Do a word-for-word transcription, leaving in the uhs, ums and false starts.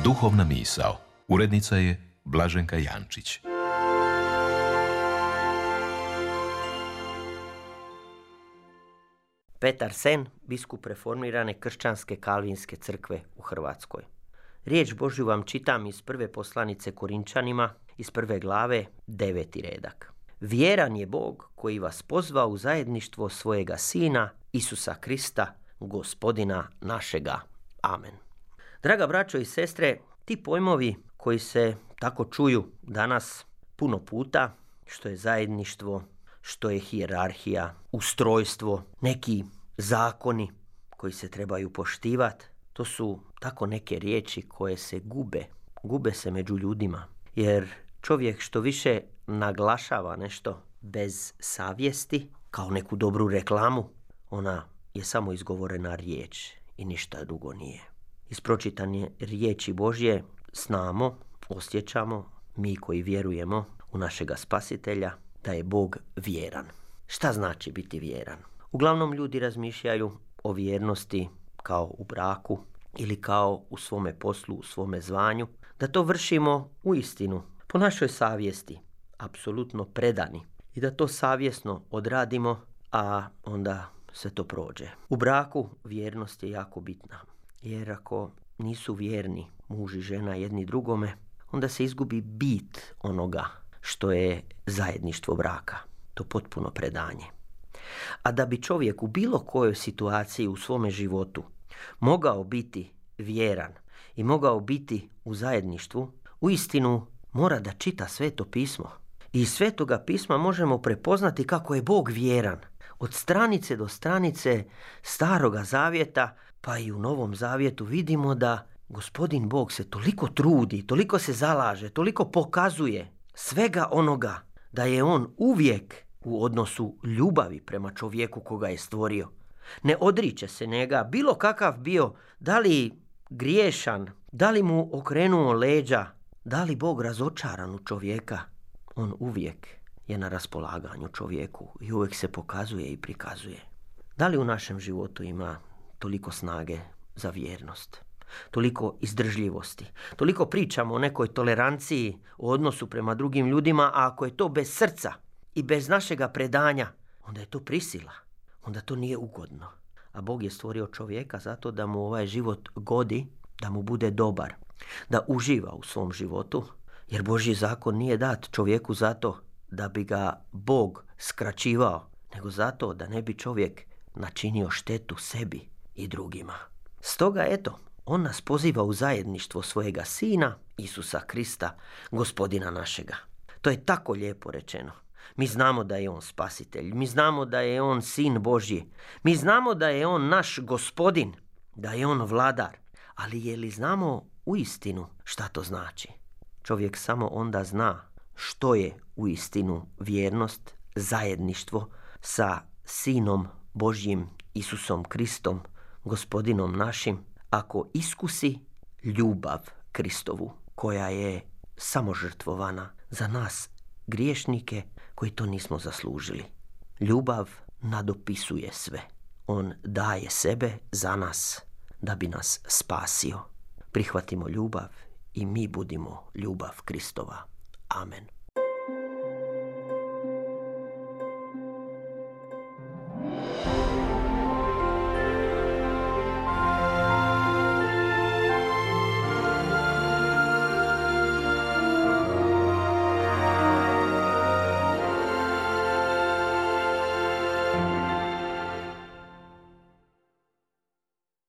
Duhovna misao. Urednica je Blaženka Jančić. Petar Sen, biskup reformirane kršćanske kalvinske crkve u Hrvatskoj. Riječ Božju vam čitam iz prve poslanice Korinčanima, iz prve glave, deveti redak. Vjeran je Bog koji vas pozva u zajedništvo svojega Sina, Isusa Krista, Gospodina našega. Amen. Draga braćo i sestre, ti pojmovi koji se tako čuju danas puno puta, što je zajedništvo, što je hijerarhija, ustrojstvo, neki zakoni koji se trebaju poštivati, to su tako neke riječi koje se gube, gube se među ljudima. Jer čovjek što više naglašava nešto bez savjesti, kao neku dobru reklamu, ona je samo izgovorena riječ i ništa drugo nije. Iz pročitane riječi Božje znamo, osjećamo, mi koji vjerujemo u našega Spasitelja, da je Bog vjeran. Šta znači biti vjeran? Uglavnom ljudi razmišljaju o vjernosti kao u braku ili kao u svome poslu, u svome zvanju, da to vršimo u istinu, po našoj savjesti, apsolutno predani i da to savjesno odradimo, a onda sve to prođe. U braku vjernost je jako bitna, jer ako nisu vjerni muž i žena jedni drugome, onda se izgubi bit onoga što je zajedništvo braka, to potpuno predanje. A da bi čovjek u bilo kojoj situaciji u svome životu mogao biti vjeran i mogao biti u zajedništvu, uistinu mora da čita Sveto pismo. I iz Svetoga pisma možemo prepoznati kako je Bog vjeran. Od stranice do stranice Staroga zavjeta, pa i u Novom zavjetu vidimo da Gospodin Bog se toliko trudi, toliko se zalaže, toliko pokazuje svega onoga da je on uvijek u odnosu ljubavi prema čovjeku koga je stvorio. Ne odriče se njega, bilo kakav bio, da li griješan, da li mu okrenuo leđa, da li Bog razočaran u čovjeka, on uvijek je na raspolaganju čovjeku i uvijek se pokazuje i prikazuje. Da li u našem životu ima toliko snage za vjernost, toliko izdržljivosti, toliko pričamo o nekoj toleranciji, o odnosu prema drugim ljudima, a ako je to bez srca i bez našega predanja, onda je to prisila, onda to nije ugodno. A Bog je stvorio čovjeka zato da mu ovaj život godi, da mu bude dobar, da uživa u svom životu, jer Božji zakon nije dat čovjeku zato da bi ga Bog skraćivao, nego zato da ne bi čovjek načinio štetu sebi i drugima. Stoga eto, on nas poziva u zajedništvo svojega Sina, Isusa Krista, Gospodina našega. To je tako lijepo rečeno. Mi znamo da je on Spasitelj, mi znamo da je on Sin Božji, mi znamo da je on naš Gospodin, da je on vladar, ali je li znamo uistinu šta to znači? Čovjek samo onda zna što je uistinu vjernost, zajedništvo sa Sinom Božjim, Isusom Kristom, Gospodinom našim, ako iskusi ljubav Kristovu, koja je samožrtvovana za nas griješnike koji to nismo zaslužili. Ljubav nadopisuje sve. On daje sebe za nas da bi nas spasio. Prihvatimo ljubav i mi budimo ljubav Kristova. Amen.